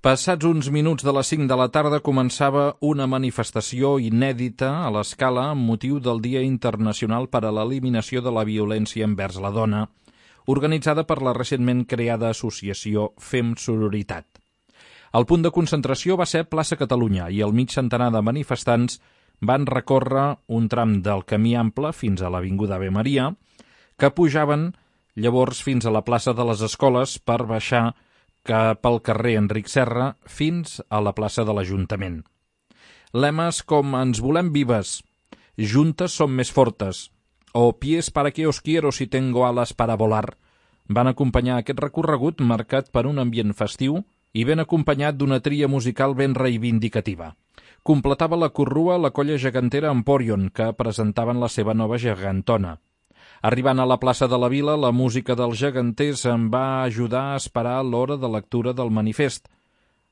Passats uns minuts de les 5 de la tarda començava una manifestació inèdita a l'Escala amb motiu del Dia Internacional per a l'Eliminació de la Violència envers la Dona, organitzada per la recentment creada associació Fem Sororitat. El punt de concentració va ser plaça Catalunya i el mig centenar de manifestants van recórrer un tram del camí ample fins a l'Avinguda Ave Maria, que pujaven llavors fins a la plaça de les Escoles per baixar cap al carrer Enric Serra fins a la plaça de l'Ajuntament. Lemes com «Ens volem vives», «Juntes som més fortes» o «Pies para que os quiero si tengo alas para volar» van acompanyar aquest recorregut marcat per un ambient festiu i ben acompanyat d'una tria musical ben reivindicativa. Completava la corrua la colla gegantera Emporion, que presentaven la seva nova gegantona. Arribant a la plaça de la Vila, la música dels geganters em va ajudar a esperar l'hora de lectura del manifest,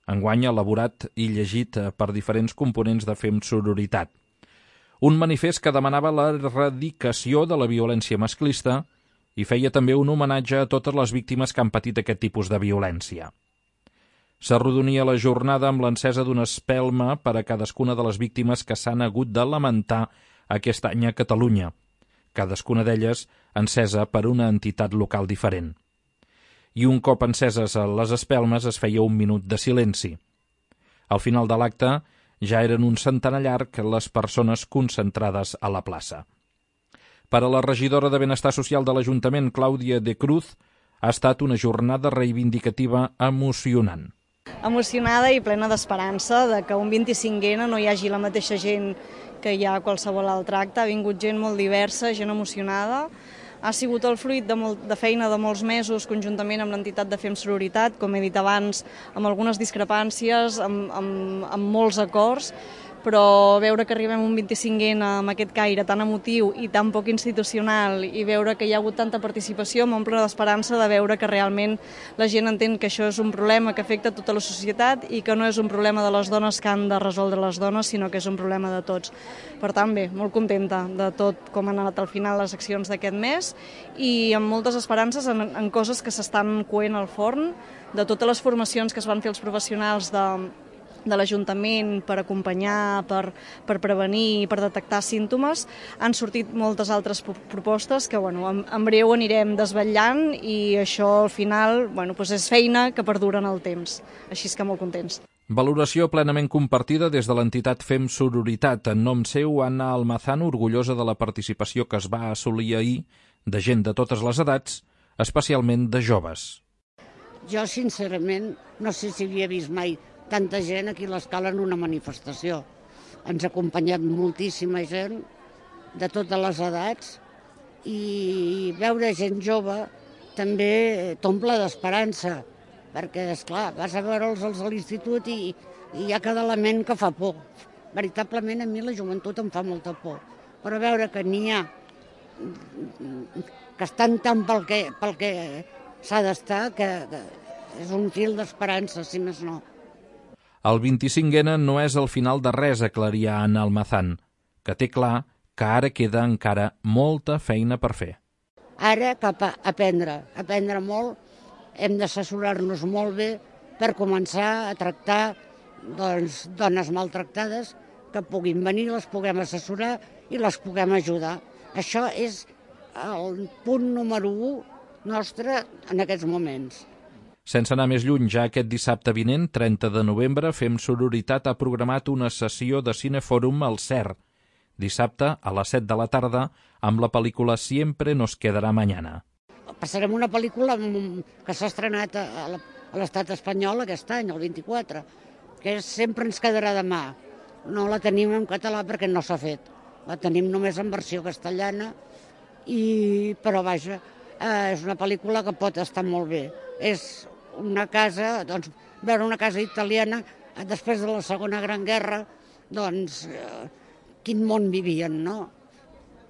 enguany elaborat i llegit per diferents components de Fem Sororitat. Un manifest que demanava l'erradicació de la violència masclista i feia també un homenatge a totes les víctimes que han patit aquest tipus de violència. S'arrodonia la jornada amb l'encesa d'una espelma per a cadascuna de les víctimes que s'han hagut de lamentar aquest any a Catalunya, cadascuna d'elles encesa per una entitat local diferent. I un cop enceses les espelmes es feia un minut de silenci. Al final de l'acte ja eren un centenar llarg les persones concentrades a la plaça. Per a la regidora de Benestar Social de l'Ajuntament, Clàudia de Cruz, ha estat una jornada reivindicativa emocionant. Emocionada i plena d'esperança de que un 25N no hi hagi la mateixa gent que hi ha a qualsevol altre acte. Ha vingut gent molt diversa, gent emocionada. Ha sigut el fruit de feina de molts mesos conjuntament amb l'entitat de Fem Sororitat, com he dit abans, amb algunes discrepàncies, amb molts acords, però veure que arribem a un 25N amb aquest caire tan emotiu i tan poc institucional i veure que hi ha hagut tanta participació m'omple d'esperança de veure que realment la gent entén que això és un problema que afecta tota la societat i que no és un problema de les dones que han de resoldre les dones, sinó que és un problema de tots. Per tant, bé, molt contenta de tot com han anat al final les accions d'aquest mes i amb moltes esperances en coses que s'estan coent al forn, de totes les formacions que es van fer els professionals de l'Ajuntament per acompanyar, per prevenir i per detectar símptomes. Han sortit moltes altres propostes que en breu anirem desvetllant i això al final és feina que perdura en el temps. Així que molt contents. Valoració plenament compartida des de l'entitat Fem Sororitat. En nom seu, Anna Almazán, orgullosa de la participació que es va assolir ahir de gent de totes les edats, especialment de joves. Jo, sincerament, no sé si havia vist mai tanta gent aquí a l'Escala en una manifestació. Ens ha acompanyat moltíssima gent de totes les edats i veure gent jove també t'omple d'esperança, perquè, esclar, vas a veure'ls a l'institut i hi ha cada element que fa por. Veritablement, a mi la joventut em fa molta por, però veure que n'hi ha que estan tant pel que s'ha d'estar, que és un fil d'esperança, si més no. El 25N no és el final de res, aclaria Anna Almazán, que té clar que ara queda encara molta feina per fer. Ara cap a aprendre molt, hem d'assessorar-nos molt bé per començar a tractar dones maltractades que puguin venir, les puguem assessorar i les puguem ajudar. Això és el punt número 1 nostre en aquests moments. Sense anar més lluny, ja aquest dissabte vinent, 30 de novembre, Fem Sororitat ha programat una sessió de cinefòrum al CER, dissabte a les 7 de la tarda, amb la pel·lícula Siempre nos quedará mañana. Passarem una pel·lícula que s'ha estrenat a l'estat espanyol aquest any, el 24, que és Sempre ens quedarà demà. No la tenim en català perquè no s'ha fet. La tenim només en versió castellana, però vaja, és una pel·lícula que pot estar molt bé. És una casa, veure una casa italiana després de la Segona Gran Guerra, quin món vivien, no?